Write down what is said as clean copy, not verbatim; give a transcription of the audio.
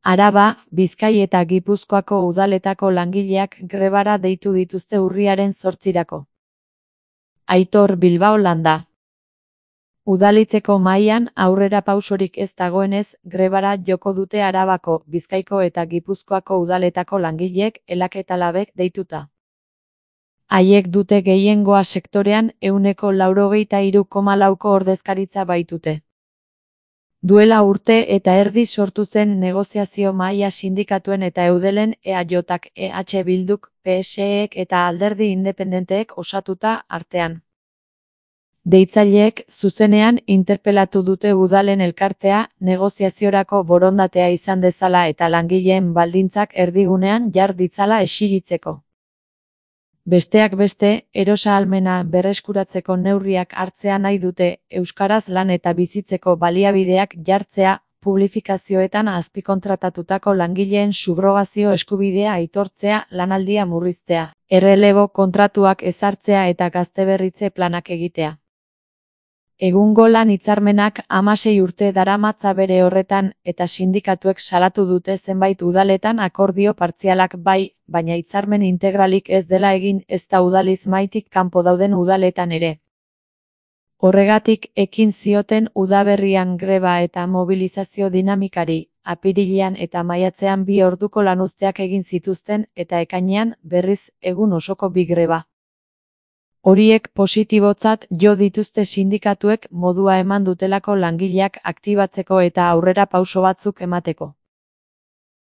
Araba, Bizkai eta Gipuzkoako udaletako langileak grebara deitu dituzte urriaren 8-rako. Aitor Bilbao Landa. Udaliteko mahaian aurrerapausorik ez dagoenez, grebara joko dute Arabako, Bizkaiko eta Gipuzkoako udaletako langileek elakatalabek deituta. Haiek dute gehiengoa sektorean 93,4%ko ordezkaritza baitute. Duela urte eta erdi sortu zen negoziazio mahaia sindikatuen eta eudelen EAJak, EH Bilduk, PSEek eta alderdi independenteek osatuta artean. Deitzaileek zuzenean interpelatu dute udalen elkartea negoziaziorako borondatea izan dezala eta langileen baldintzak erdigunean jar ditzala exigitzeko. Besteak beste, erosahalmena berreskuratzeko neurriak hartzea nahi dute, euskaraz lan eta bizitzeko baliabideak jartzea, publifikazioetan azpikontratatutako langileen subrogazio eskubidea aitortzea, lanaldia murriztea, errelebo kontratuak ezartzea eta gazteberritze planak egitea. Egungo lan hitzarmenak 16 urte daramatza bere horretan eta sindikatuek salatu dute zenbait udaletan akordio partzialak bai, baina hitzarmen integralik ez dela egin ezta udaliz maitik kanpo dauden udaletan ere. Horregatik ekin zioten udaberrian greba eta mobilizazio dinamikari, apirilean eta maiatzean 2 orduko lanuzteak egin zituzten eta ekainean berriz egun osoko 2 greba. Horiek positibotzat jo dituzte sindikatuek modua eman dutelako langileak aktibatzeko eta aurrera pauso batzuk emateko.